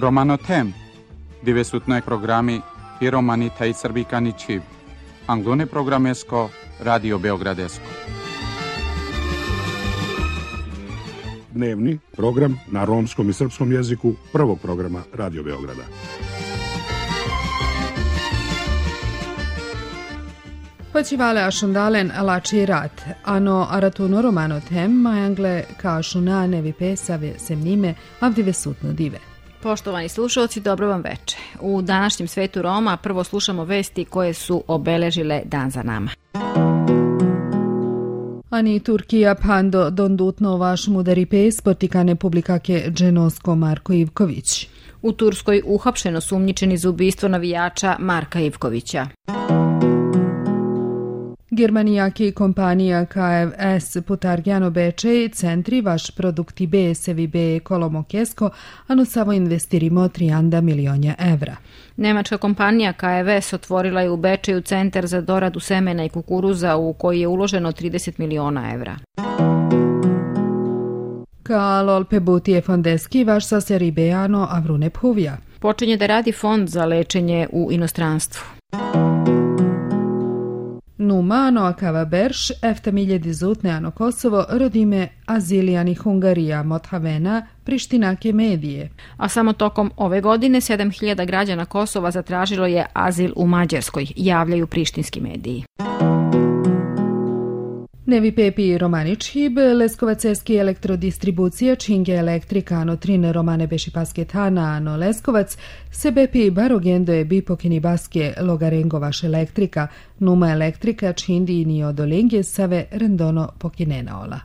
Romanotem, divesutnoj programi i romanita i srbikani čiv, anglone programesko, Radio Beogradesko. Dnevni program na romskom i srpskom jeziku prvog programa Radio Beograda. Počivale ašundalen lači rat, ano aratuno romano tem, majangle kašuna nevi pesave semnime, avdive sutno dive. Poštovani slušalci, dobro vam veče. U današnjem svetu Roma prvo slušamo vesti koje su obeležile dan za nama. Ani Turkija pando dondutno vaš mudari pes potikane publikake Dženosko Marko Ivković. U Turskoj uhapšeno sumnjičeni za ubistvo navijača Marka Ivkovića. Germanijaki kompanija KFS Putargjano Bečej centri vaš produkti B sevi B Kolomokesko, ano samo investirimo 3 milionja evra. Nemačka kompanija KFS otvorila je u Bečeju centar za doradu semena i kukuruza u koji je uloženo 30 miliona evra. Kalol Pebutije Fondeski vaš sa seri Bejano Avrune Puvija. Počinje da radi fond za lečenje u inostranstvu. Numano akava berš, efta miljedi zutneano Kosovo, rodime azilijani Hungarija, Mothavena, Prištinake medije. A samo tokom ove godine 7.000 građana Kosova zatražilo je azil u Mađarskoj, javljaju prištinski mediji. Nevi Pepi Romanić Hib, Leskovaceski elektrodistribucija Činge elektrika ano trine Romane Beši Pasketana ano Leskovac, Sebepi Barogendo je Bipokini Baske Logarengovaš elektrika, Numa elektrika Čindi ni Odolenge Save Rendono Pokinenaola.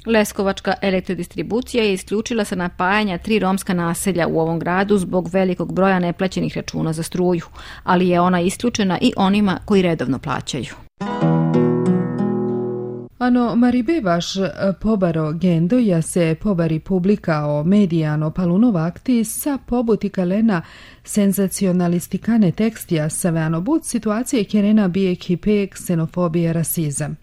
Leskovačka elektrodistribucija je isključila sa napajanja 3 romska naselja u ovom gradu zbog velikog broja neplaćenih računa za struju, ali je ona isključena i onima koji redovno plaćaju. Ano maribe vaš pobaro gendo ja se pobari publika o medijano palunovakti sa pobuti kalena senzacionalistikane tekstija saveano bud situacije kerena bije kipe ksenofobije rasizam.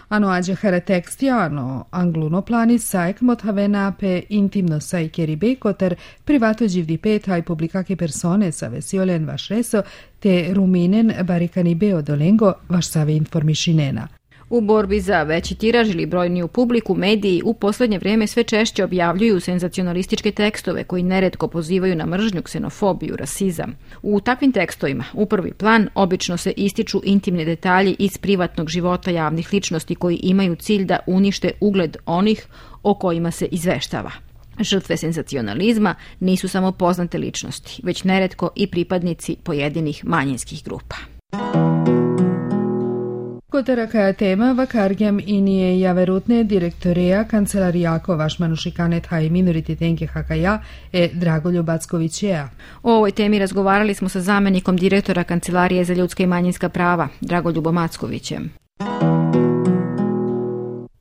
Ano ađehara tekstija ano angluno plani sajk mothavena pe intimno sajkeri bekotar privato đivdi petaj publikake persone sa vesiolen vaš reso te ruminen barikani beo dolengo vaš save informišinena. U borbi za veći tiraž ili brojniju publiku, mediji u poslednje vrijeme sve češće objavljuju senzacionalističke tekstove koji neretko pozivaju na mržnju, ksenofobiju, rasizam. U takvim tekstovima u prvi plan obično se ističu intimni detalji iz privatnog života javnih ličnosti koji imaju cilj da unište ugled onih o kojima se izveštava. Žrtve senzacionalizma nisu samo poznate ličnosti, već neretko i pripadnici pojedinih manjinskih grupa. Kotaraka tema vakargjam i nije javerutne direktoreja kancelarijako vaš manušikanet haj minoriti tenke hakaja Dragoljub Backovićeja. O ovoj temi razgovarali smo sa zamjenikom direktora Kancelarije za ljudska i manjinska prava, Dragoljubom Mackovićem.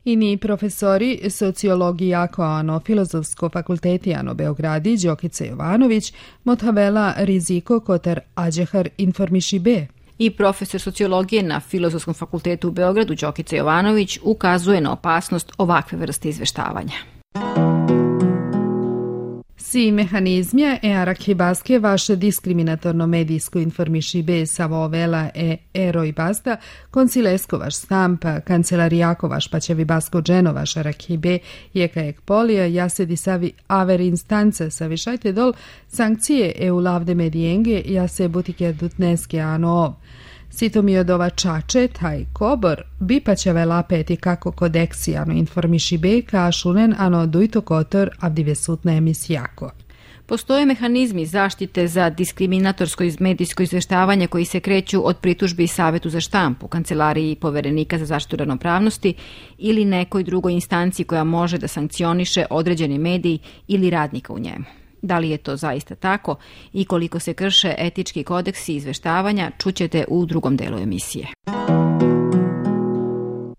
Ini profesori sociologiji jako ano Filozofsko fakulteti ano Beogradi Đokice Jovanović, Mothavela Riziko Kotar Ađehar informiši B. I profesor sociologije na Filozofskom fakultetu u Beogradu Đokica Jovanović ukazuje na opasnost ovakve vrste izveštavanja. Si mehanizmja arhibaske vaše diskriminatorno medijsko informiši bez savovela ero i basta, koncilesko vaš stampa, kancelarijako vaš paćevi basko dženo vaš arhibe, jeka ek polija, jasedi savi aver instance savišajte dol, sankcije eu lavde medijenge, jase butike dutneske ano. Sito mi od ova čače, taj kobor, bi paćave lapeti kako kodeksi ano informiši be, kašunen ano dujto kotor avdive sutna emisijako. Postoje mehanizmi zaštite za diskriminatorsko medijsko izveštavanje koji se kreću od pritužbi Savetu za štampu, Kancelariji poverenika za zaštitu ravnopravnosti ili nekoj drugoj instanciji koja može da sankcioniše određeni medij ili radnika u njemu. Da li je to zaista tako i koliko se krše etički kodeksi izveštavanja, čućete u drugom delu emisije.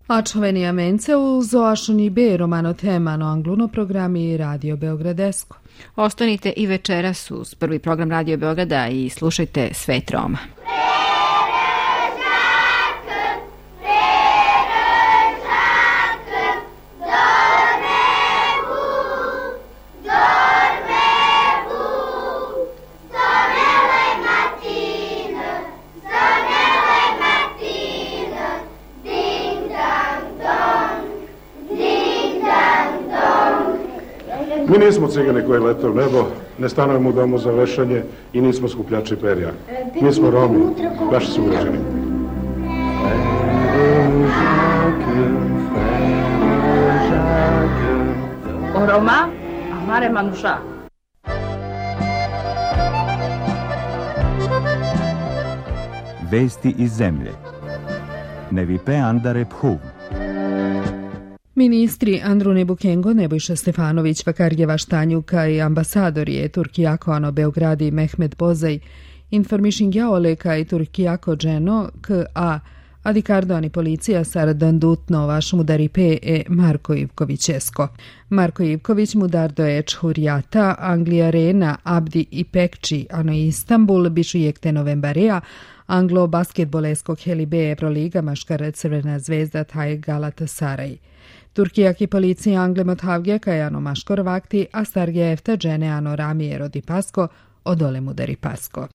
Ačoveni mence u zoašuni B romano temano angluno programi Radio Beogradesko. Ostanite i večeras uz prvi program Radio Beograda i slušajte Svet Roma. Mi nismo cigani koji lete u nebo, ne stanujemo u domu za vešanje i nismo skupljači perja. Mi smo Romi, vaši sugrađani. O Roma, amare Manusha. Vesti iz zemlje. Nevipe Andare Phuv. Ministri Andrune Bukengo, Nebojša Stefanović, Vakarjeva Štanjuka i ambasadori Turkijako Ano Beogradi Mehmet Bozaj informišingja oleka i Turkijako dženo k.a. Adikardo ani policija saradan dutno vaš mudaripe Marko Ivkovićesko. Marko Ivković mudardo Hurjata, Anglija Rena, Abdi i Pekči, ano Istanbul, bišu jekte novembarea, Anglo basketboleskog Helibe Evroliga, Maškar Crvena zvezda, taj Galatasaray. Turkijaki policija Angle Mothavge, Kajano Maškor vakti, a starge efta džene ano Ramije Rodi Pasko, odole mudari Pasko.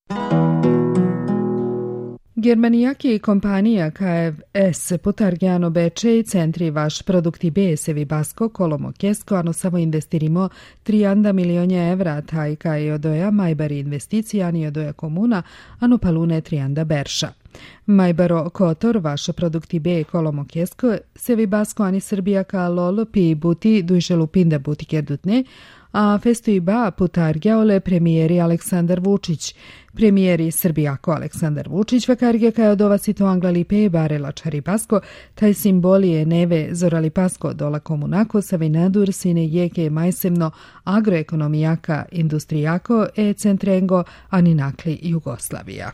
Germanijaki kompanija KFS putargiano beče i centri vaš produkti B-sevi Basko, Kolomo Kesko, ano samo investirimo 3 milionja evra, taj kaj odoja majbari investicijani odoja komuna, ano palune 3 berša. Majbaro Kotor, vaš produkti B Kolomo Kesko, sevi Basko ani Srbija ka lol pi buti dujšelu pinda buti kerdutne, a festuiba putargiaole premijeri Aleksandar Vučić. Premijeri Srbijako Aleksandar Vučić vakarge kaj odova sito Anglalipe barela čari Pasko, taj simbolije neve zorali Pasko dola komunako savinadur sine jeke majsemno agroekonomijaka industrijako centrengo ani nakli Jugoslavija.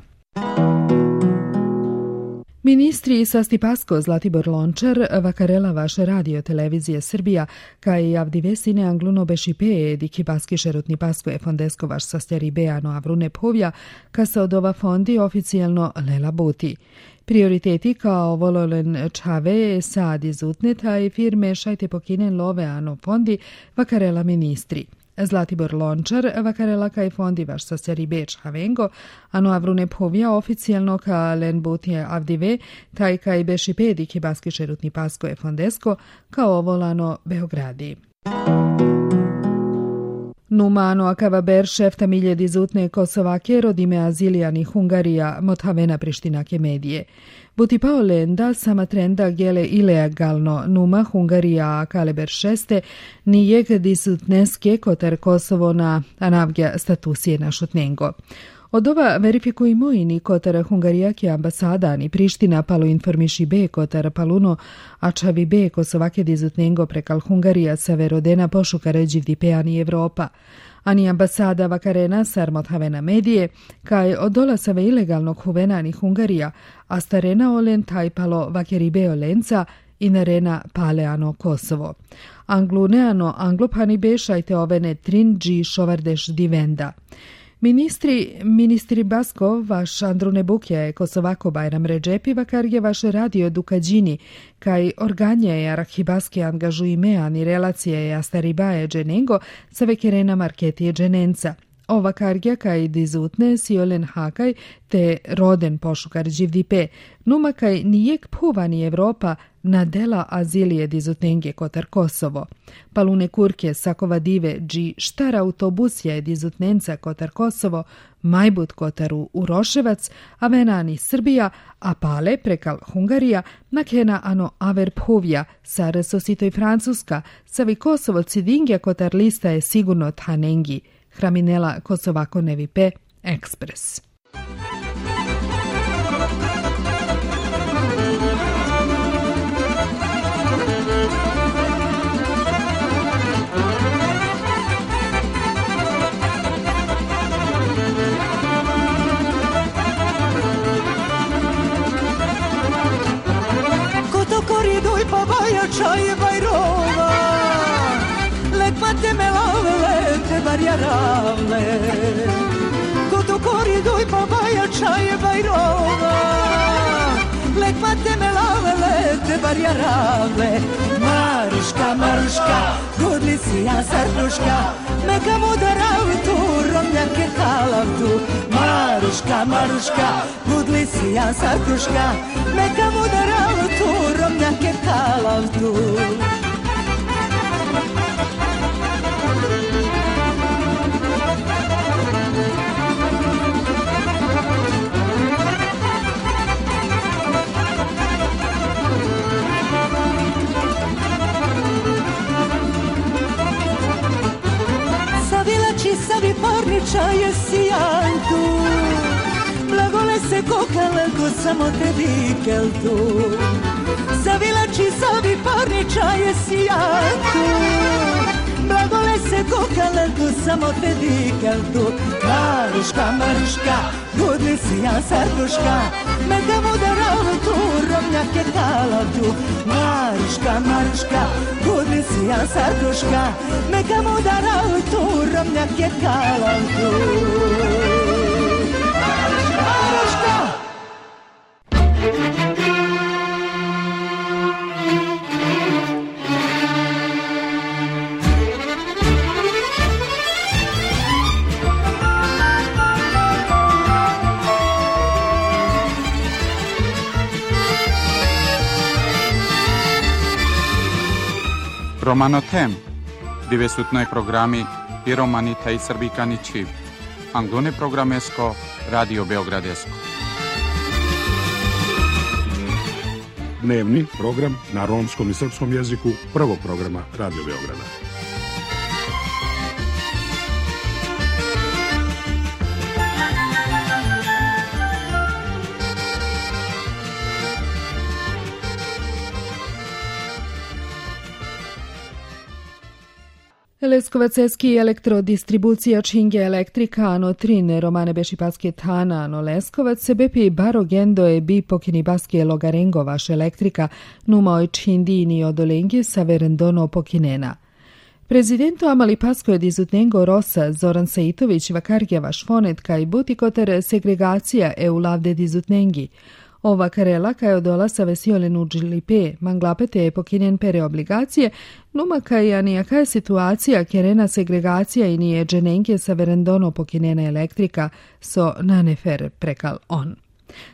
Ministri Sasti Pasko, Zlatibor Lončar, vakarela vaša radio televizija Srbija, kaj avdi sine angluno bešipe diki baski šerutni Pasko je fondesko vaš sastjeri beano avrune povja, ka se odova fondi oficijalno lela buti. Prioriteti kao vololen čave sad izutne taj firme šajte pokinen love ano fondi vakarela ministri. Zlatibor Lončar, vakarela kaj fondi vaš sastjeri beč havengo, ano avrune povja oficijalno ka len butije avdive, taj kaj beši pediki baski šerutni Pasko je fondesko, kao volano Beogradi. Numano akava ber šefta miljedi zutne Kosovake rodime azilijani Hungarija Mothavena Prištinake medije. Buti pao lenda sama trenda gele ilegalno numa Hungarija kaleber šeste nijeg disutneske kotar Kosovo na anavgja statusije našutnengo. Od ova verifikujemo i ni kotar Hungarijaki ambasada ni Priština palo informiši be kotar paluno ačavi be Kosovake dizutnengo prekal Hungarija severodena pošuka ređivdi peani Evropa. Ani ambasada vakarena sar Mothavena medije, kaj od dolasave ilegalnog huvena ni Hungarija, a starena olen tajpalo vakeribe olenca i narena paleano Kosovo. Angluneano anglopani bešajte ovene trinđi šovardeš divenda. Ministri Basko, vaš Andrune Bukja je Kosovako Bajram Redžepi vakarge vaše radio Dukađini, kaj organje je Arhibaske angažujime ani relacije je Astaribaje dženengo sa vekerena marketije dženenca. Ova kargja kaj dizutne siolen hakaj te roden pošukar dživdipe, numa kaj nijek puvani Evropa na dela azilije dizutnenge kotar Kosovo. Palune kurke sakova dive dži štar autobusja je dizutnenca kotar Kosovo, majbut kotaru Uroševac, a venani Srbija, a pale prekal Hungarija, nakena ano aver povja, sar sositoj Francuska, savi Kosovo cidingja kotar lista je sigurno thanengi. Hraminela Kosovako Nevipe Ekspres. Koto koriduj pa bajača je bajrova, lek pate me lavele te barjaravle. Koto koriduj pa bajača je bajrova, lek pate me lavele te barjaravle. Maruška, Maruška, gudli si ja sarduška, meka mudaral tu, romnjake kalav tu. Maruška, Maruška, gudli si ja sarduška, meka mudaral tu, romnjake kalav tu. čaje sijantu, blagole se kokalko samo te dikeltu, zavilači zavi parni čaje sijantu, blagole se kokalko samo te dikeltu. Maruška, Maruška, budni si ja sarduška, medem udarao tu romnjake kalatu. Maruška, Maruška, budni si ja sarduška, medem udarao tu romnjake kalatu. Maruška! Romano tem, dove sutnoj programi i romanita i srbikani čiv. Angone programesko, Radio Beogradesko. Dnevni program na romskom i srpskom jeziku prvog programa Radio Beograda. Leskovaceski elektrodistribucija Činge elektrika ano trin romane bešipaske tana ano Leskovac se bepi baro gendo e bi pokini baske logarengo vaš elektrika numoj čindini odolengi sa verendono pokinena. Prezidento Amali Pasko je dizutnengo Rosa Zoran Saitović vakargja vaš fonet kaj butikoter segregacija e u lavde dizutnengi. Ova karela kaj odola sa vesiolen u džilipe, manglapete je pokinen pere obligacije, numa kaj anijaka je situacija kerena segregacija i nije dženenke sa verendono pokinena elektrika, so nanefer prekal on.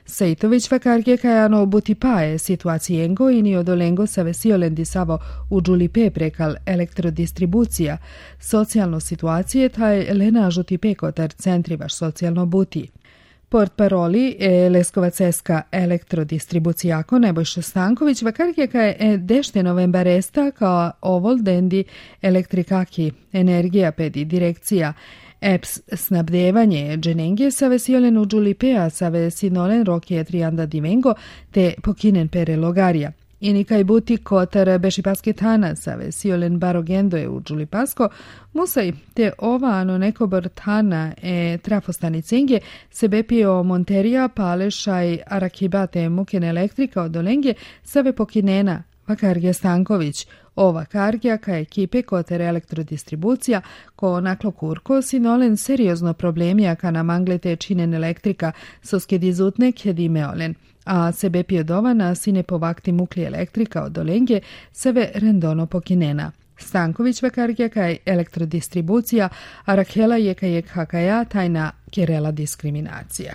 Saitović vakarge kaj ano butipae situacijengo i ni odolengo sa vesiolen disavo u džulipe prekal elektrodistribucija, socijalno situacije taj lena žutipe kotar centri vaš socijalno buti. Port paroli je Leskovaceska elektrodistribucijako Nebojša Stanković vakarjeka je dešte novembaresta kao ovol dendi elektrikaki energija pedi direkcija EPS snabdevanje dženenge sa vesiolenu džulipea sa vesinolen rokije trianda divengo te pokinen pere logarija. I nikaj buti kotar bešipaske tana sa vesiolen barogendo je u džulipasko, musaj te ova ano nekobor tana e trafostanicenge se bepio monterija palešaj arakibate muken elektrika od olenge save pokinena vakargja Stanković. Ova kargja ka ekipe koter elektrodistribucija ko naklo kurko sinolen seriozno problemija ka na manglete činen elektrika soske dizutne kedi meolen. A sebe pjodovana sine povakti mukli elektrika od olenge seve rendono pokinena. Stanković vakargja kaj elektrodistribucija, a Rakela je kaj hakaja tajna kerela diskriminacija.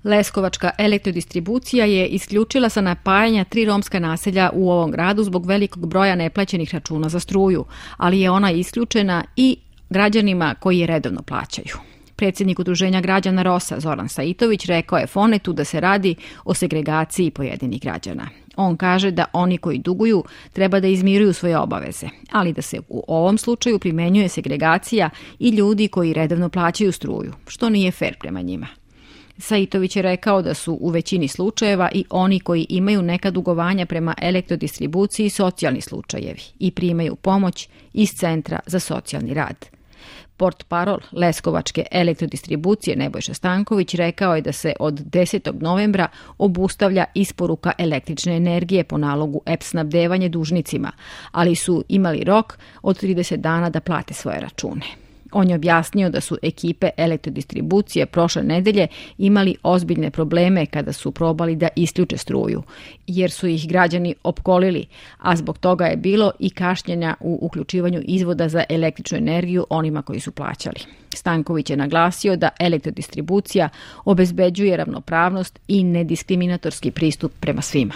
Leskovačka elektrodistribucija je isključila sa napajanja 3 romska naselja u ovom gradu zbog velikog broja neplaćenih računa za struju, ali je ona isključena i građanima koji je redovno plaćaju. Predsjednik Udruženja građana Rosa Zoran Saitović rekao je Fonetu da se radi o segregaciji pojedinih građana. On kaže da oni koji duguju treba da izmiruju svoje obaveze, ali da se u ovom slučaju primenjuje segregacija i ljudi koji redovno plaćaju struju, što nije fer prema njima. Saitović je rekao da su u većini slučajeva i oni koji imaju neka dugovanja prema elektrodistribuciji socijalni slučajevi i primaju pomoć iz Centra za socijalni rad. Portparol Leskovačke elektrodistribucije Nebojša Stanković rekao je da se od 10. novembra obustavlja isporuka električne energije po nalogu EPS snabdevanje dužnicima, ali su imali rok od 30 dana da plate svoje račune. On je objasnio da su ekipe elektrodistribucije prošle nedelje imali ozbiljne probleme kada su probali da isključe struju, jer su ih građani opkolili, a zbog toga je bilo i kašnjenja u uključivanju izvoda za električnu energiju onima koji su plaćali. Stanković je naglasio da elektrodistribucija obezbeđuje ravnopravnost i nediskriminatorski pristup prema svima.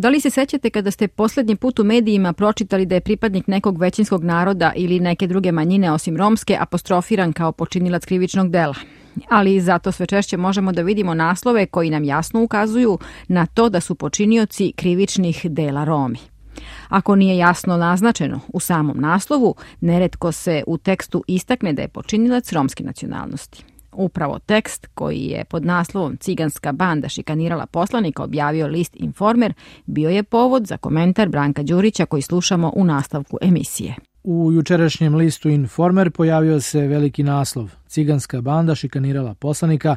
Da li se sećate kada ste posljednji put u medijima pročitali da je pripadnik nekog većinskog naroda ili neke druge manjine osim romske apostrofiran kao počinilac krivičnog dela? ali zato sve češće možemo da vidimo naslove koji nam jasno ukazuju na to da su počinioci krivičnih dela Romi. Ako nije jasno naznačeno u samom naslovu, neretko se u tekstu istakne da je počinilac romske nacionalnosti. Upravo tekst koji je pod naslovom Ciganska banda šikanirala poslanika objavio list Informer bio je povod za komentar Branka Đurića koji slušamo u nastavku emisije. U jučerašnjem listu Informer pojavio se veliki naslov Ciganska banda šikanirala poslanika,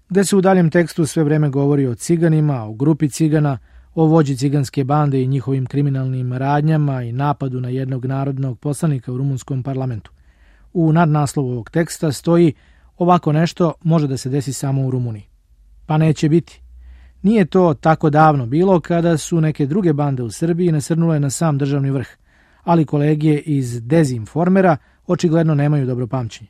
gde se u daljem tekstu sve vreme govori o ciganima, o grupi cigana, o vođi ciganske bande i njihovim kriminalnim radnjama i napadu na jednog narodnog poslanika u rumunskom parlamentu. U nadnaslovu ovog teksta stoji: ovako nešto može da se desi samo u Rumuniji. Pa neće biti. Nije to tako davno bilo kada su neke druge bande u Srbiji nasrnule na sam državni vrh, ali kolege iz Dezinformera očigledno nemaju dobro pamćenje.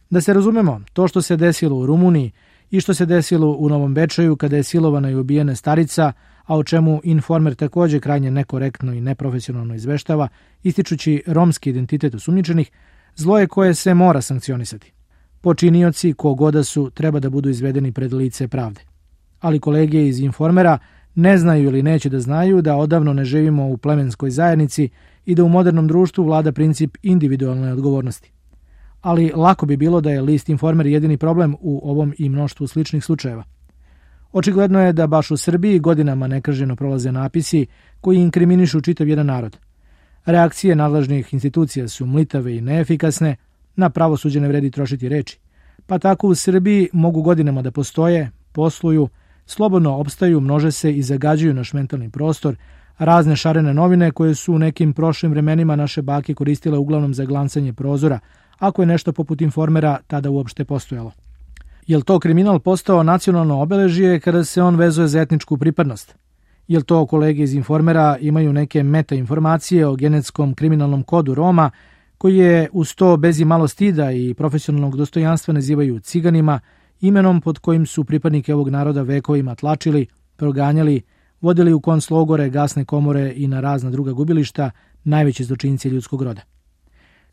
Da se razumemo, to što se desilo u Rumuniji i što se desilo u Novom Bečeju kada je silovana i ubijena starica, a o čemu Informer također krajnje nekorektno i neprofesionalno izveštava, ističući romski identitet osumnjičenih, zlo je koje se mora sankcionisati. Počinioci, kogoda su, treba da budu izvedeni pred lice pravde. Ali kolege iz Informera ne znaju ili neće da znaju da odavno ne živimo u plemenskoj zajednici i da u modernom društvu vlada princip individualne odgovornosti. Ali lako bi bilo da je list Informer jedini problem u ovom i mnoštvu sličnih slučajeva. Očigledno je da baš u Srbiji godinama nekrženo prolaze napisi koji inkriminišu čitav jedan narod. Reakcije nadležnih institucija su mlitave i neefikasne, na pravosuđe ne vredi trošiti reči. Pa tako u Srbiji mogu godinama da postoje, posluju, slobodno opstaju, množe se i zagađuju naš mentalni prostor, razne šarene novine koje su u nekim prošlim vremenima naše bake koristile uglavnom za glancanje prozora, ako je nešto poput Informera tada uopšte postojalo. Je li to kriminal postao nacionalno obeležje kada se on vezuje za etničku pripadnost? Je li to kolege iz Informera imaju neke meta informacije o genetskom kriminalnom kodu Roma, koji je uz to bez i malo stida i profesionalnog dostojanstva nazivaju ciganima, imenom pod kojim su pripadnike ovog naroda vekovima tlačili, proganjali, vodili u konclogore, gasne komore i na razna druga gubilišta, najveći zločinci ljudskog roda.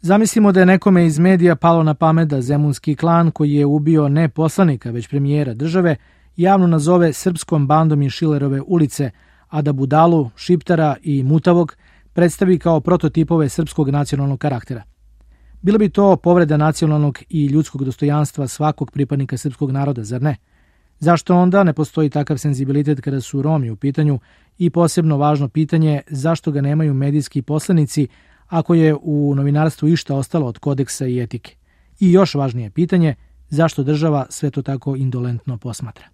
Zamislimo da je nekome iz medija palo na pamet da zemunski klan koji je ubio ne poslanika, već premijera države, javno nazove srpskom bandom iz Šilerove ulice, a da Budalu, Šiptara i Mutavog predstavi kao prototipove srpskog nacionalnog karaktera. Bilo bi to povreda nacionalnog i ljudskog dostojanstva svakog pripadnika srpskog naroda, zar ne? Zašto onda ne postoji takav senzibilitet kada su Romi u pitanju i posebno važno pitanje zašto ga nemaju medijski poslanici ako je u novinarstvu išta ostalo od kodeksa i etike? I još važnije pitanje, zašto država sve to tako indolentno posmatra?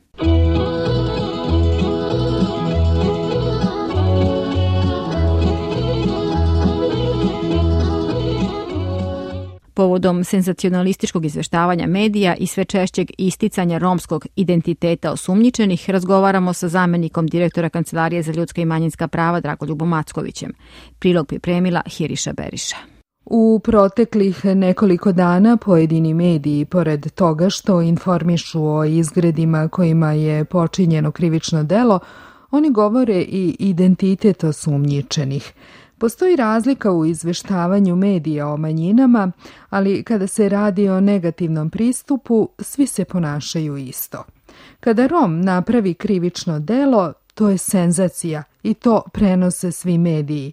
Povodom senzacionalističkog izveštavanja medija i sve češćeg isticanja romskog identiteta osumnjičenih, razgovaramo sa zamenikom direktora Kancelarije za ljudska i manjinska prava Dragoljubom Mackovićem. Prilog pripremila Hiriša Beriša. U proteklih nekoliko dana pojedini mediji, pored toga što informišu o izgredima kojima je počinjeno krivično delo, oni govore i identitet osumnjičenih. Postoji razlika u izveštavanju medija o manjinama, ali kada se radi o negativnom pristupu, svi se ponašaju isto. Kada Rom napravi krivično delo, to je senzacija i to prenose svi mediji.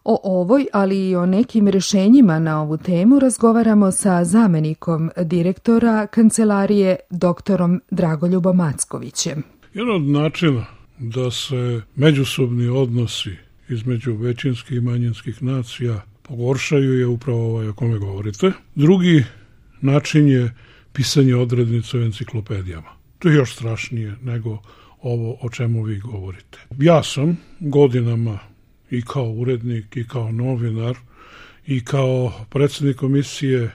O ovoj, ali i o nekim rješenjima na ovu temu razgovaramo sa zamenikom direktora Kancelarije doktorom Dragoljubom Mackovićem. Jedan od načina da se međusobni odnosi između većinskih i manjinskih nacija pogoršaju je upravo ovaj o kome govorite. Drugi način je pisanje odrednica u enciklopedijama. To je još strašnije nego ovo o čemu vi govorite. Ja sam godinama i kao urednik i kao novinar i kao predsjednik komisije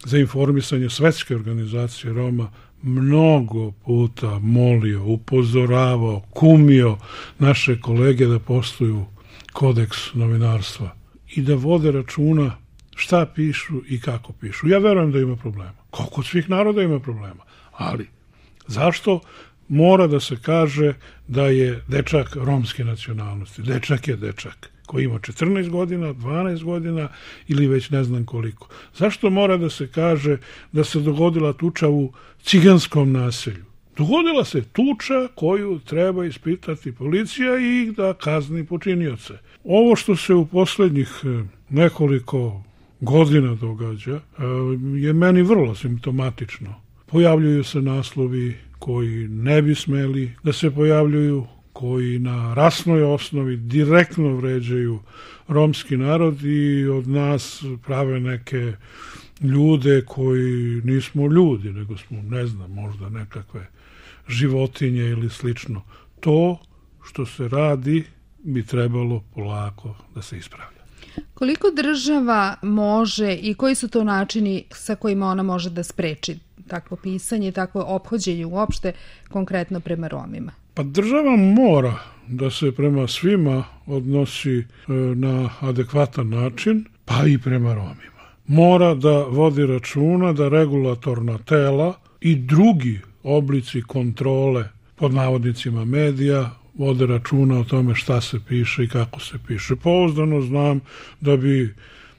za informisanje Svetske organizacije Roma mnogo puta molio, upozoravao, kumio naše kolege da poštuju kodeks novinarstva i da vode računa šta pišu i kako pišu. Ja verujem da ima problema. Kao kod svih naroda ima problema. Ali zašto mora da se kaže da je dečak romske nacionalnosti? Dečak je dečak. koji ima 14 godina, 12 godina ili već ne znam koliko. Zašto mora da se kaže da se dogodila tuča u ciganskom naselju? Dogodila se tuča koju treba ispitati policija i da kazni počinioce. Ovo što se u poslednjih nekoliko godina događa je meni vrlo simptomatično. Pojavljuju se naslovi koji ne bi smeli da se pojavljuju, koji na rasnoj osnovi direktno vređaju romski narod i od nas prave neke ljude koji nismo ljudi, nego smo, ne znam, možda nekakve životinje ili slično. To što se radi bi trebalo polako da se ispravlja. Koliko država može i koji su to načini sa kojima ona može da spreči takvo pisanje, takvo ophođenje uopšte konkretno prema Romima? Pa država mora da se prema svima odnosi na adekvatan način, pa i prema Romima. Mora da vodi računa da regulatorna tela i drugi oblici kontrole pod navodnicima medija vode računa o tome šta se piše i kako se piše. Pouzdano znam da bi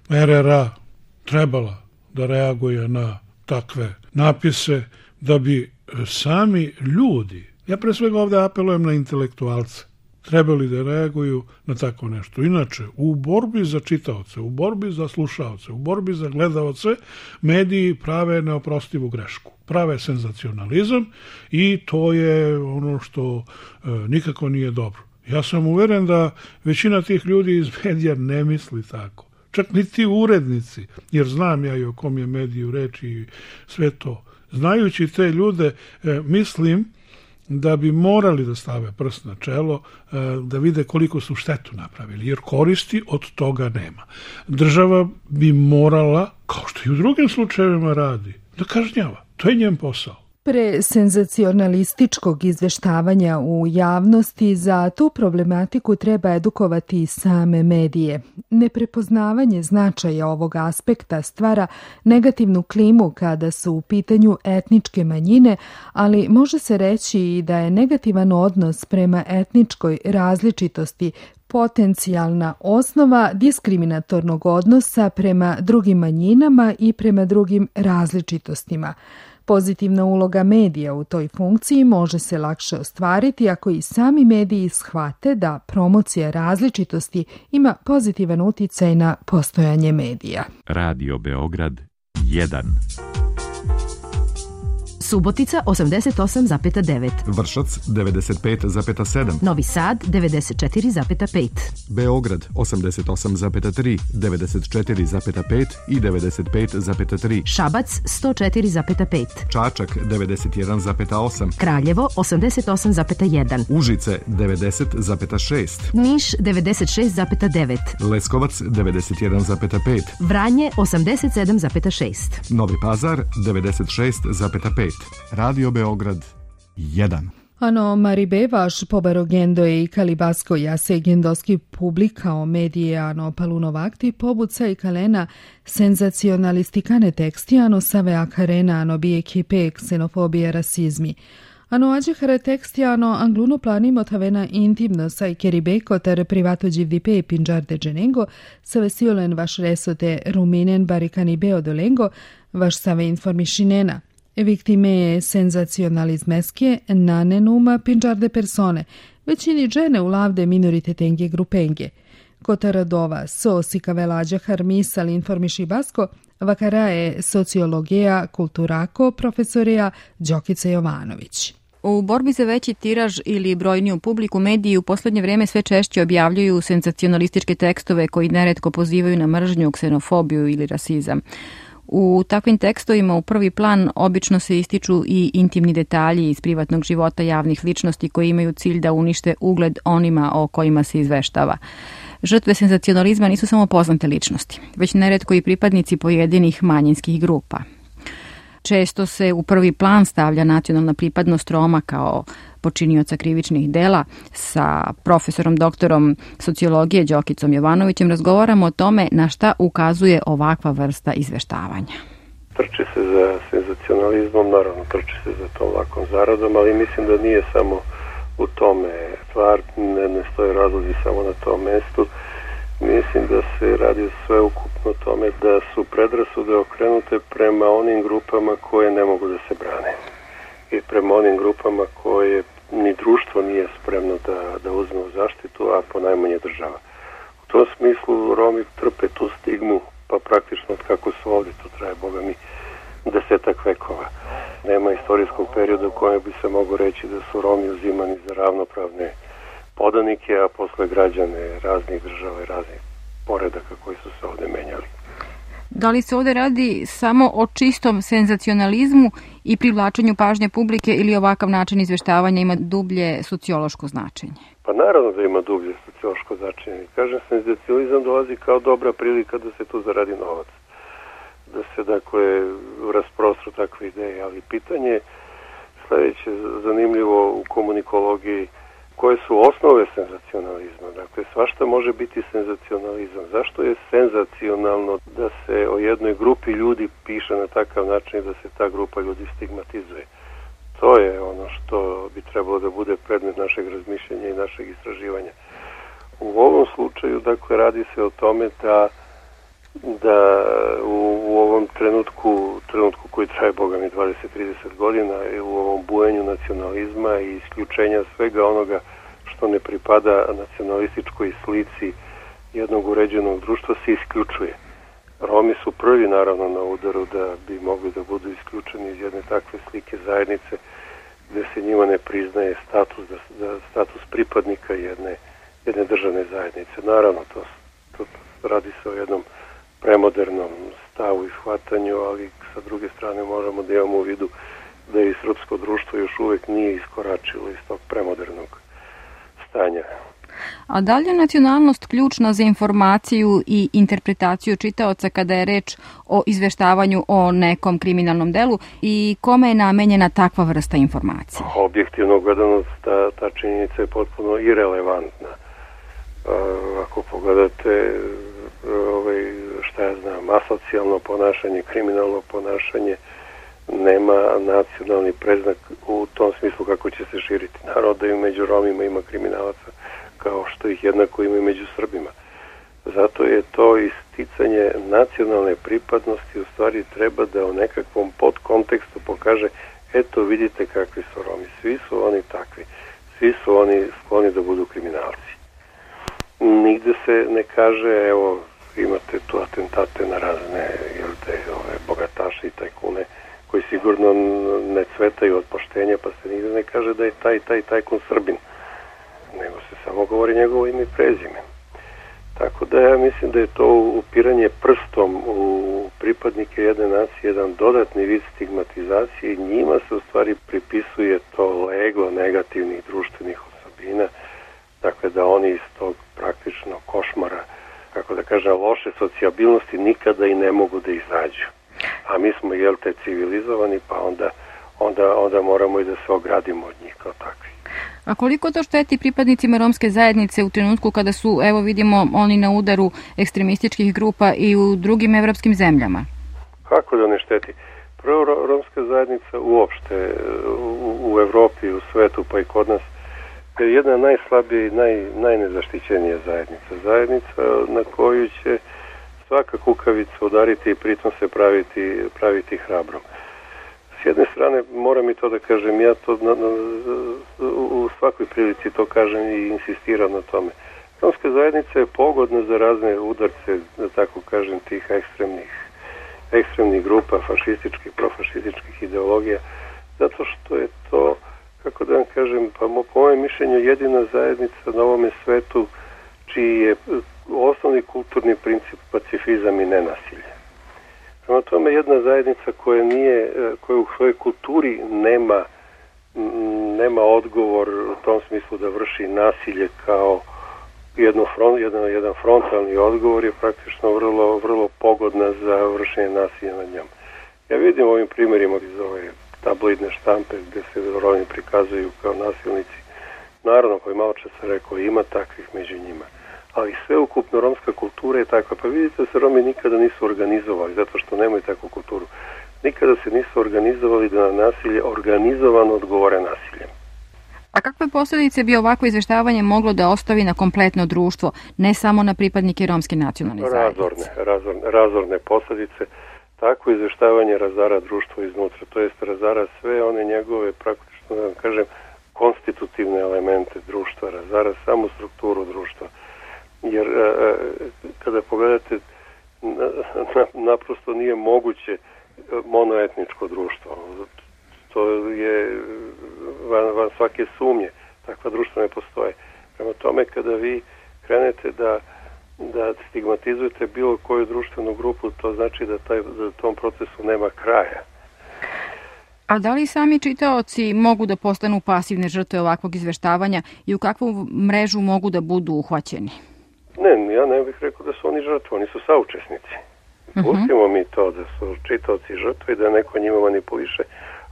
RRA trebala da reaguje na takve napise, da bi sami ljudi, ja pre svega ovde apelujem na intelektualce, trebali da reaguju na tako nešto. Inače, u borbi za čitaoce, u borbi za slušaoce, u borbi za gledaoce, mediji prave neoprostivu grešku. Prave senzacionalizam i to je ono što nikako nije dobro. Ja sam uveren da većina tih ljudi iz medija ne misli tako. Čak ni ti urednici, jer znam ja i o kom je mediju reč i sve to. Znajući te ljude, mislim da bi morali da stave prst na čelo, da vide koliko su štetu napravili, jer koristi od toga nema. Država bi morala, kao što i u drugim slučajevima radi, da kažnjava. To je njen posao. Pre senzacionalističkog izveštavanja u javnosti za tu problematiku treba edukovati same medije. Neprepoznavanje značaja ovog aspekta stvara negativnu klimu kada su u pitanju etničke manjine, ali može se reći i da je negativan odnos prema etničkoj različitosti potencijalna osnova diskriminatornog odnosa prema drugim manjinama i prema drugim različitostima. Pozitivna uloga medija u toj funkciji može se lakše ostvariti ako i sami mediji shvate da promocija različitosti ima pozitivan uticaj na postojanje medija. Radio Beograd 1. Subotica 88,9. Vršac 95,7. Novi Sad 94,5. Beograd 88,3, 94,5 i 95,3. Šabac 104,5. Čačak 91,8. Kraljevo 88,1. Užice 90,6. Niš 96,9. Leskovac 91,5. Vranje 87,6. Novi Pazar 96,5. Radio Beograd 1. Ano Maribe vaš pobarogendo i kalibasko jase gendoski publikao medije ano palunovakti pobuca i kalena senzacionalistikane teksti ano save akarena ano bije kipe ksenofobije rasizmi. Ano ađehare teksti ano angluno planimo tavena intimno sa i keribeko ter privato givdipe pinđarde dženengo save siolen vaš resote ruminen barikani beodolengo vaš save informišinena. Viktime senzacionalizmeske nanenuma pinđarde persone, većini žene u lavde minoritetenge grupenge. Kotaradova so sikavelađa harmisal informiši basko, vakarae sociologija kulturako profesorija Đokica Jovanović. U borbi za veći tiraž ili brojniju publiku mediji u poslednje vreme sve češće objavljuju senzacionalističke tekstove koji neretko pozivaju na mržnju, ksenofobiju ili rasizam. U takvim tekstovima u prvi plan obično se ističu i intimni detalji iz privatnog života javnih ličnosti koji imaju cilj da unište ugled onima o kojima se izveštava. Žrtve senzacionalizma nisu samo poznate ličnosti, već neretko i pripadnici pojedinih manjinskih grupa. Često se u prvi plan stavlja nacionalna pripadnost Roma kao počinioca krivičnih dela. Sa profesorom doktorom sociologije Đokicom Jovanovićem razgovaramo o tome na šta ukazuje ovakva vrsta izveštavanja. Trči se za senzacionalizmom, naravno trči se za tom lakom zaradom, ali mislim da nije samo u tome stvar, ne stoje razlozi samo na tom mestu. Mislim da se radi sve ukupno tome da su predrasude okrenute prema onim grupama koje ne mogu da se brane i prema onim grupama koje ni društvo nije spremno da uzme u zaštitu, a ponajmanje država. U tom smislu Romi trpe tu stigmu, pa praktično od kako su ovdje, to traje, Boga mi, 10 vekova. Nema istorijskog perioda u kojem bi se mogo reći da su Romi uzimani za ravnopravne podanike, a posle građane raznih država i raznih poredaka koji su se ovdje menjali. Da li se ovdje radi samo o čistom senzacionalizmu i privlačenju pažnje publike ili ovakav način izveštavanja ima dublje sociološko značenje? Pa naravno da ima dublje sociološko značenje. Kažem, senzacionalizam dolazi kao dobra prilika da se tu zaradi novac. Da se, dakle, rasprostru takve ideje. Ali pitanje sljedeće zanimljivo u komunikologiji, koje su osnove senzacionalizma. Dakle, svašta može biti senzacionalizam. Zašto je senzacionalno da se o jednoj grupi ljudi piše na takav način i da se ta grupa ljudi stigmatizuje? To je ono što bi trebalo da bude predmet našeg razmišljanja i našeg istraživanja. U ovom slučaju, dakle, radi se o tome da u ovom trenutku koji traje, Boga mi, 20-30 godina, u ovom bujenju nacionalizma i isključenja svega onoga što ne pripada nacionalističkoj slici jednog uređenog društva, se isključuje. Romi su prvi, naravno, na udaru da bi mogli da budu isključeni iz jedne takve slike zajednice gde se njima ne priznaje status pripadnika jedne državne zajednice. Naravno, to radi se o jednom premodernom stavu i shvatanju, ali sa druge strane možemo da imamo u vidu da i srpsko društvo još uvijek nije iskoračilo iz tog premodernog stanja. A da li je nacionalnost ključna za informaciju i interpretaciju čitaoca kada je reč o izveštavanju o nekom kriminalnom delu i kome je namenjena takva vrsta informacije? Objektivno gledano, ta činjenica je potpuno irelevantna. Ako pogledate asocijalno ponašanje, kriminalno ponašanje, nema nacionalni predznak u tom smislu kako će se širiti. Naravno da i među Romima ima kriminalaca, kao što ih jednako ima i među Srbima. Zato je to isticanje nacionalne pripadnosti u stvari treba da u nekakvom podkontekstu pokaže, eto vidite kakvi su Romi, svi su oni takvi, svi su oni skloni da budu kriminalci. Nigde se ne kaže, evo, imate tu atentate na razne bogataše i tajkune koji sigurno ne cvetaju od poštenja, pa se nigde ne kaže da je taj tajkun Srbin, nego se samo govori njegovo ime i prezime. Tako da ja mislim da je to upiranje prstom u pripadnike jedne nacije jedan dodatni vid stigmatizacije i njima se u stvari pripisuje to leglo negativnih društvenih osobina, dakle da oni iz tog praktično košmara, kako da kažem, loše socijabilnosti nikada i ne mogu da izađu. A mi smo, civilizovani, pa onda moramo i da se ogradimo od njih kao takvi. A koliko to šteti pripadnicima romske zajednice u trenutku kada su, evo vidimo, oni na udaru ekstremističkih grupa i u drugim evropskim zemljama? Kako da ne šteti? Prvo, romska zajednica uopšte u Evropi, u svetu, pa i kod nas, je jedna najslabija i najnezaštićenija zajednica. Zajednica na koju će svaka kukavica udariti i pritom se praviti hrabrom. S jedne strane, moram i to da kažem, ja to u svakoj prilici to kažem i insistiram na tome. Romska zajednica je pogodna za razne udarce, da tako kažem, tih ekstremnih grupa, fašističkih, profašističkih ideologija, zato što je to, kako da vam kažem, pa po mojem mišljenju jedina zajednica na ovome svetu čiji je osnovni kulturni princip pacifizam i nenasilje. Prema tome, jedna zajednica koja u svojoj kulturi nema odgovor u tom smislu da vrši nasilje kao jedan frontalni odgovor je praktično vrlo pogodna za vršenje nasilja nad njom. Ja vidim ovim primjerima iz ove tabloidne štampe gde se Romi prikazuju kao nasilnici. Naravno, koji malo čas sam rekao, ima takvih među njima. Ali sveukupno romska kultura je takva. Pa vidite da se Romi nikada nisu organizovali, zato što nemaju takvu kulturu. Nikada se nisu organizovali da na nasilje organizovano odgovore nasiljem. A A kakve posljedice bi ovako izveštavanje moglo da ostavi na kompletno društvo, ne samo na pripadnike romske nacionalne zajednice? Razorne posljedice. Takvo izveštavanje razara društvo iznutra, to jest razara sve one njegove, praktično da vam kažem, konstitutivne elemente društva, razara samu strukturu društva. Jer kada pogledate, naprosto nije moguće monoetničko društvo. To je van svake sumnje. Takva društva ne postoje. Prema tome, kada vi krenete da stigmatizujete bilo koju društvenu grupu, to znači da tom procesu nema kraja. A da li sami čitaoci mogu da postanu pasivne žrtve ovakvog izveštavanja i u kakvu mrežu mogu da budu uhvaćeni? Ne, ja ne bih rekao da su oni žrtve, oni su saučesnici. Pustimo mi to da su čitaoci žrtve i da neko njima manipuliše,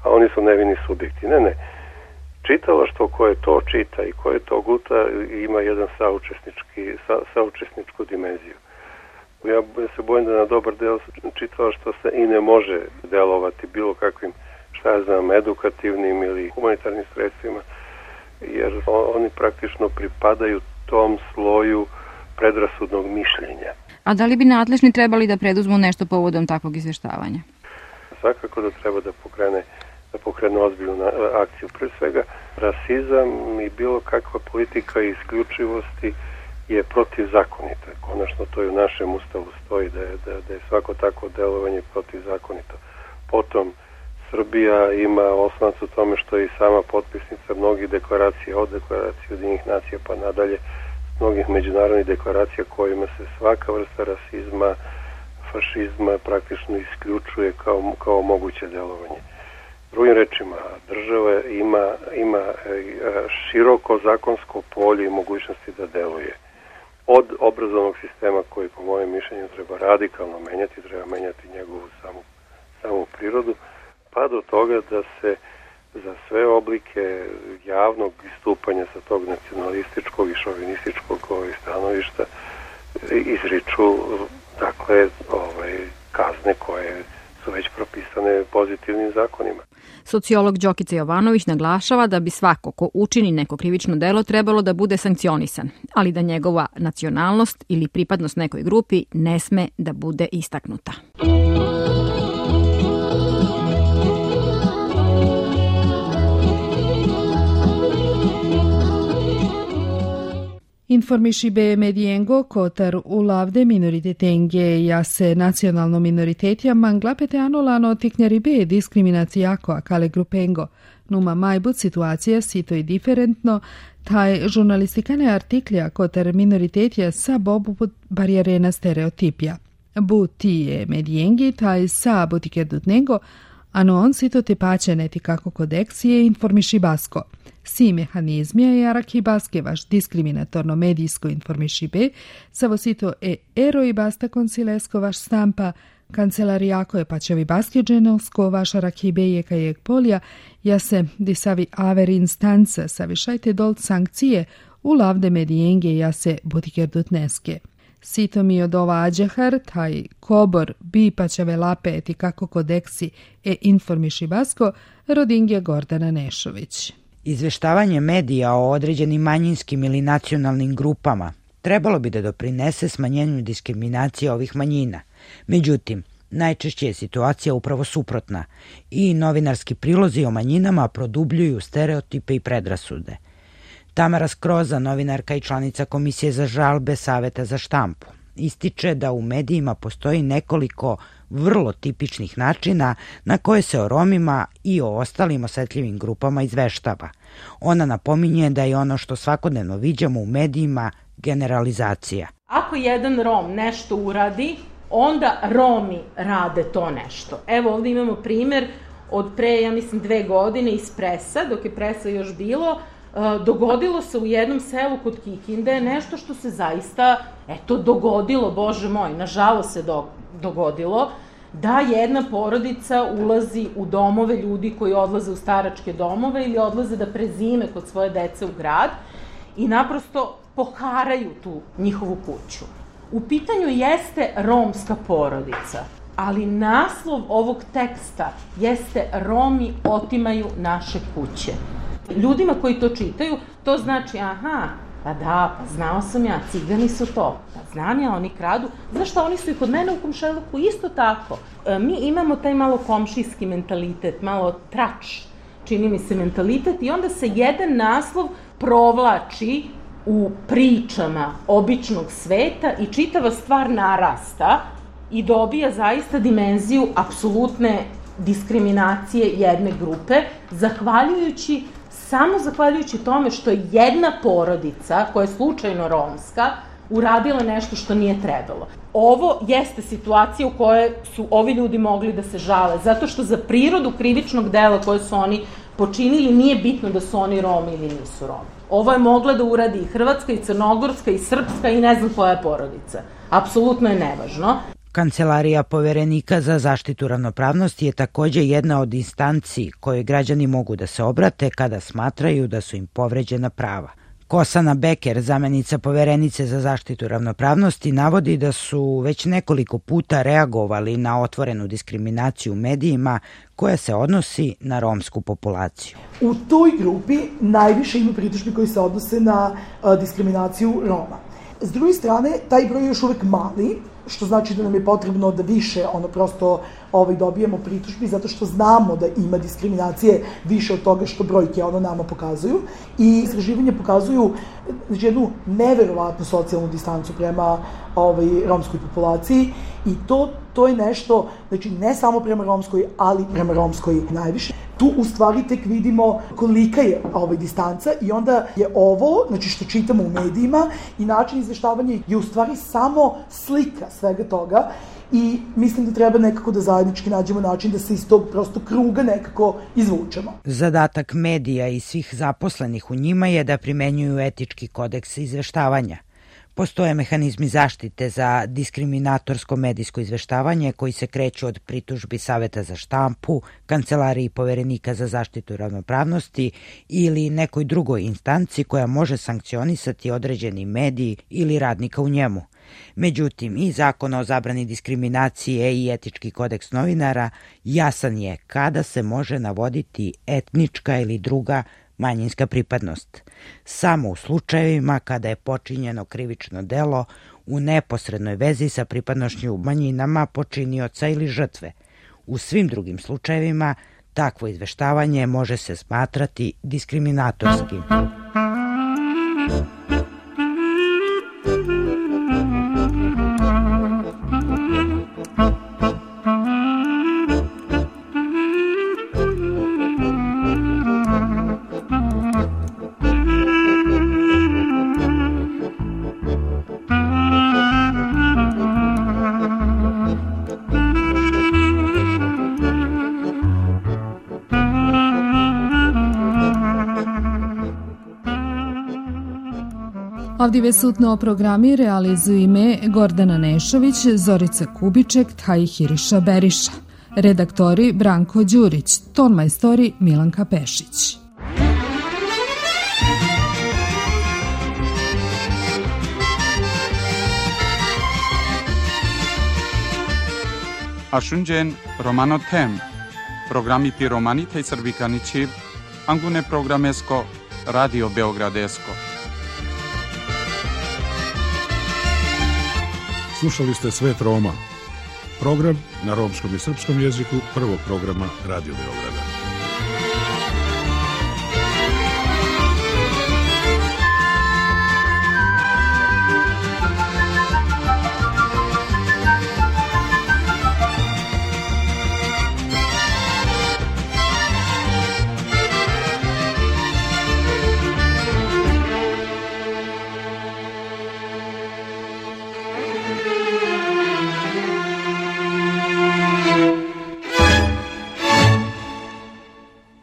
a oni su nevini subjekti. Ne. Čitalaštvo koje to čita i koje to guta ima jedan saučesničku dimenziju. Ja se bojim da na dobar deo čitalaštva se i ne može delovati bilo kakvim, edukativnim ili humanitarnim sredstvima, jer oni praktično pripadaju tom sloju predrasudnog mišljenja. A da li bi nadležni trebali da preduzmu nešto povodom takvog izveštavanja? Svakako da treba da pokrenu ozbiljnu akciju. Pre svega, rasizam i bilo kakva politika isključivosti je protivzakonita. Konačno to i u našem ustavu stoji da je svako takvo delovanje protivzakonito. Potom, Srbija ima osnovac u tome što je i sama potpisnica mnogih deklaracija, od deklaracije Ujedinjenih nacija pa nadalje, mnogih međunarodnih deklaracija kojima se svaka vrsta rasizma, fašizma praktično isključuje kao moguće delovanje. Drugim rečima, država ima široko zakonsko polje i mogućnosti da deluje. Od obrazovnog sistema koji po mojem mišljenju treba radikalno menjati, treba menjati njegovu samu prirodu, pa do toga da se za sve oblike javnog istupanja sa tog nacionalističkog i šovinističkog stanovišta izriču kazne koje su već propisane pozitivnim zakonima. Sociolog Đokica Jovanović naglašava da bi svako ko učini neko krivično delo trebalo da bude sankcionisan, ali da njegova nacionalnost ili pripadnost nekoj grupi ne sme da bude istaknuta. Informiši be mediengo kotar ulavde minoritetenge jase nacionalno minoritetja manglapete anolano tiknjari be diskriminacijako akale grupengo. Numa majbut situacija sito i diferentno, taj žurnalistikane artiklja kotar minoritetja sa bobu barijerena stereotipja. Bu tije mediengi taj sa butikerdutnego, ano on sito te pačeneti kako kodeksije informiši basko. Si mehanizmija je araki baske vaš diskriminatorno medijsko informiši be, savo sito ero i basta konsilesko vaš stampa, kancelarijako je pačevi baske dženovsko vaš araki be je kajeg polja, ja se disavi aver instanca savišajte dolt sankcije u lavde medijenge ja se butikerdutneske. Sito mi od ova ađehar, taj kobor bi pačave lapeti kako kodeksi informiši basko, rodingje Gordana Nešović. Izveštavanje medija o određenim manjinskim ili nacionalnim grupama trebalo bi da doprinese smanjenju diskriminacije ovih manjina. Međutim, najčešće je situacija upravo suprotna i novinarski prilozi o manjinama produbljuju stereotipe i predrasude. Tamara Skroza, novinarka i članica Komisije za žalbe Saveta za štampu, ističe da u medijima postoji nekoliko vrlo tipičnih načina na koje se o Romima i o ostalim osetljivim grupama izveštava. Ona napominje da je ono što svakodnevno viđamo u medijima generalizacija. Ako jedan Rom nešto uradi, onda Romi rade to nešto. Evo ovdje imamo primjer od pre, ja mislim, 2 godine iz Presa, dok je Presa još bilo, dogodilo se u jednom selu kod Kikinde nešto što se zaista, dogodilo, Bože moj, nažalost se dogodilo, da jedna porodica ulazi u domove ljudi koji odlaze u staračke domove ili odlaze da prezime kod svoje dece u grad i naprosto poharaju tu njihovu kuću. U pitanju jeste romska porodica, ali naslov ovog teksta jeste Romi otimaju naše kuće. Ljudima koji to čitaju, to znači, aha, pa da, pa znao sam ja, cigani su to, pa znam ja, oni kradu, znaš šta, oni su i kod mene u komšiluku isto tako. Mi imamo taj malo komšijski mentalitet, malo trač, čini mi se mentalitet, i onda se jedan naslov provlači u pričama običnog sveta i čitava stvar narasta i dobija zaista dimenziju apsolutne diskriminacije jedne grupe, samo zahvaljujući tome što je jedna porodica, koja je slučajno romska, uradila nešto što nije trebalo. Ovo jeste situacija u kojoj su ovi ljudi mogli da se žale, zato što za prirodu krivičnog dela koje su oni počinili nije bitno da su oni Romi ili nisu Romi. Ovo je mogla da uradi i hrvatska, i crnogorska, i srpska, i ne znam koja je porodica. Apsolutno je nevažno. Kancelarija Poverenika za zaštitu ravnopravnosti je takođe jedna od instanci kojoj građani mogu da se obrate kada smatraju da su im povređena prava. Kosana Beker, zamenica Poverenice za zaštitu ravnopravnosti, navodi da su već nekoliko puta reagovali na otvorenu diskriminaciju u medijima koja se odnosi na romsku populaciju. U toj grupi najviše ima pritužbi koji se odnose na diskriminaciju Roma. S druge strane, taj broj je još uvek mali, što znači da nam je potrebno da više prosto dobijemo pritužbi, zato što znamo da ima diskriminacije više od toga što brojke nama pokazuju. I istraživanje pokazuju jednu neverovatnu socijalnu distancu prema romskoj populaciji i to je nešto, znači ne samo prema romskoj, ali prema romskoj najviše. Tu u stvari tek vidimo kolika je distanca i onda je ovo, znači što čitamo u medijima i način izveštavanja je u stvari samo slika svega toga i mislim da treba nekako da zajednički nađemo način da se iz tog prosto kruga nekako izvučemo. Zadatak medija i svih zaposlenih u njima je da primenjuju etički kodeks izveštavanja. Postoje mehanizmi zaštite za diskriminatorsko medijsko izveštavanje koji se kreću od pritužbi Saveta za štampu, Kancelariji Poverenika za zaštitu ravnopravnosti ili nekoj drugoj instanci koja može sankcionisati određeni medij ili radnika u njemu. Međutim, i Zakon o zabrani diskriminacije i etički kodeks novinara jasan je kada se može navoditi etnička ili druga manjinska pripadnost. Samo u slučajevima kada je počinjeno krivično delo u neposrednoj vezi sa pripadnošću manjinama počinioca ili žrtve. U svim drugim slučajevima takvo izveštavanje može se smatrati diskriminatorskim. Avdive sutno programi realizuju ime Gordana Nešović, Zorica Kubiček, Tahiriša Beriša. Redaktori Branko Đurić, tonmajstori Milanka Pešić. Ashunjen Romano Tem, programi Piromanita i Srbikanići, Angune programesko, Radio Beogradesko. Slušali ste Svet Roma, program na romskom i srpskom jeziku prvog programa Radio Beograda.